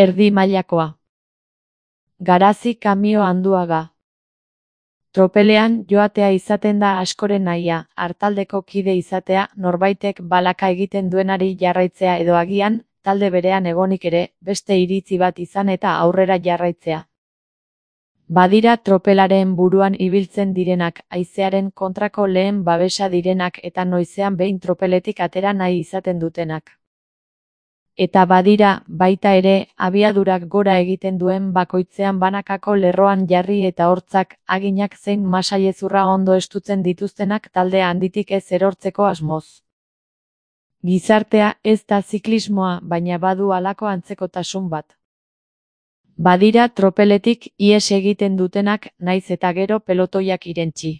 Erdi mailakoa. Garazi Kamio Anduaga. Tropelean joatea izaten da askoren nahia, artaldeko kide izatea, norbaitek balaka egiten duenari jarraitzea edo agian, talde berean egonik ere, beste iritzi bat izan eta aurrera jarraitzea. Badira tropelaren buruan ibiltzen direnak, haizearen kontrako lehen babesa direnak eta noizean behin tropeletik atera nahi izaten dutenak. Eta badira, baita ere, abiadurak gora egiten duen bakoitzean banakako lerroan jarri eta hortzak, aginak zein masailezurra ondo estutzen dituztenak talde handitik ez erortzeko asmoz. Gizartea ez da ziklismoa, baina badu halako antzekotasun bat. Badira tropeletik ihes egiten dutenak, naiz eta gero pelotoiak irentsi.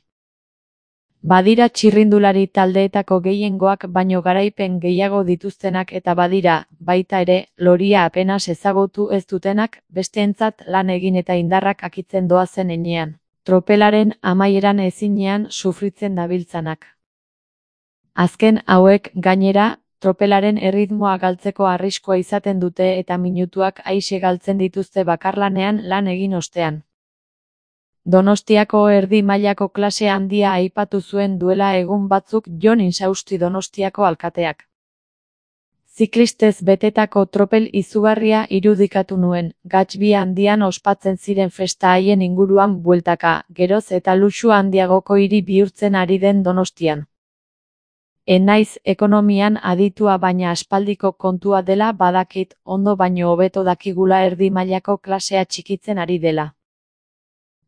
Badira txirrindulari taldeetako gehiengoak baino garaipen gehiago dituztenak eta badira, baita ere, loria apenas ezagutu ez dutenak, besteentzat lan egin eta indarrak akitzen doazen heinean. Tropelaren amaieran ezinean sufritzen dabiltzanak. Azken hauek, gainera, tropelaren erritmoa galtzeko arriskua izaten dute eta minutuak aise galtzen dituzte bakarlanean lan egin ostean. Donostiako erdi mailako klase handia aipatu zuen duela egun batzuk Jon Insausti Donostiako alkateak. Ziklistez betetako tropel izugarria irudikatu nuen, Gatsby handian ospatzen ziren festa haien inguruan bueltaka, geroz eta luxu handiagoko hiri bihurtzen ari den Donostian. Naiz ekonomian aditua baina aspaldiko kontua dela badakit, ondo baino hobeto dakigula erdi mailako klasea txikitzen ari dela.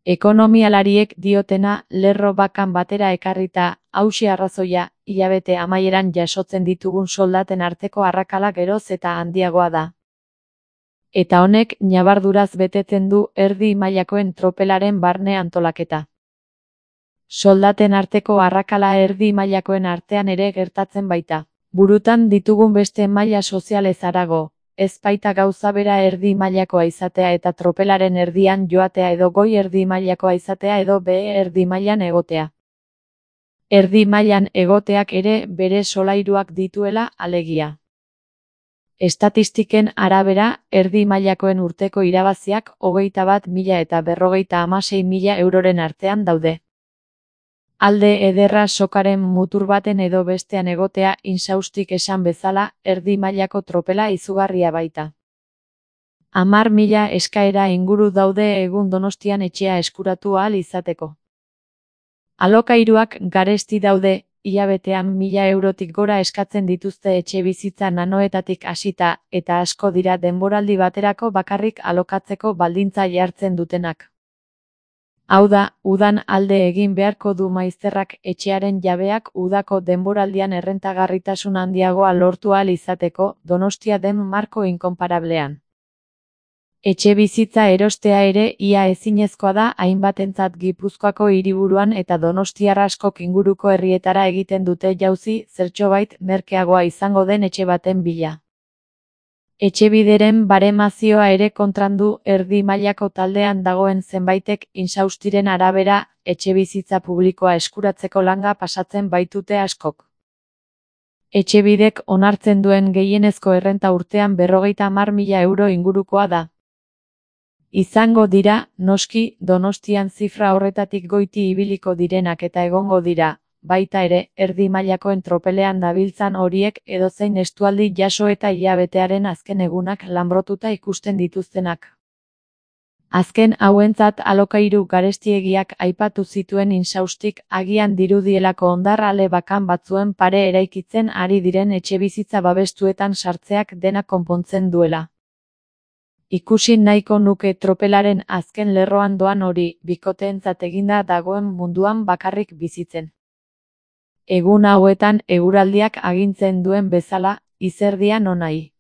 Ekonomialariek diotena lerro bakan batera ekarrita, hauxe arrazoia, hilabete amaieran jasotzen ditugun soldaten arteko arrakala geroz eta handiagoa da. Eta honek ñabarduraz betetzen du erdi mailakoen tropelaren barne antolaketa. Soldaten arteko arrakala erdi mailakoen artean ere gertatzen baita. Burutan ditugun beste maila sozialez harago. Ez baita gauza bera erdi mailakoa izatea eta tropelaren erdian joatea edo goi erdi mailakoa izatea edo behe erdi mailan egotea. Erdi mailan egoteak ere bere solairuak dituela alegia. Estatistiken arabera, erdi mailakoen urteko irabaziak 21.000 eta 56.000 euroren artean daude. Alde ederra sokaren mutur baten edo bestean egotea Insaustik esan bezala, erdi mailako tropela izugarria baita. 10.000 eskaera inguru daude egun Donostian etxea eskuratu ahal izateko. Alokairuak garesti daude, hilabetean 1.000 eurotik gora eskatzen dituzte etxebizitza nanoetatik hasita, eta asko dira denboraldi baterako bakarrik alokatzeko baldintza jartzen dutenak. Hau da, udan alde egin beharko du maizterrak etxearen jabeak udako denboraldian errentagarritasun handiagoa lortu ahal izateko, Donostia den marko inkonparablean. Etxebizitza erostea ere ia ezinezkoa da hainbatentzat Gipuzkoako hiriburuan eta donostiar askok inguruko herrietara egiten dute jauzi zertxobait merkeagoa izango den etxe baten bila. Etxebideren baremazioa ere kontrandu erdi mailako taldean dagoen zenbaitek Insaustiren arabera, etxebizitza publikoa eskuratzeko langa pasatzen baitute askok. Etxebidek onartzen duen gehienezko errenta urtean 50.000 euro ingurukoa da. Izango dira, noski, Donostian zifra horretatik goiti ibiliko direnak eta egongo dira, baita ere, erdi mailakoen tropelean dabiltzan horiek edozein estualdi jaso eta hilabetearen azken egunak lanbrotuta ikusten dituztenak. Azken hauentzat alokairu garestiegiak aipatu zituen Insaustik agian dirudielako hondarrale bakan batzuen pare eraikitzen ari diren etxebizitza babestuetan sartzeak dena konpontzen duela. Ikusi nahiko nuke tropelaren azken lerroan doan hori, bikoteentzat eginda dagoen munduan bakarrik bizitzen. Egun hauetan eguraldiak agintzen duen bezala, izerdia nonai.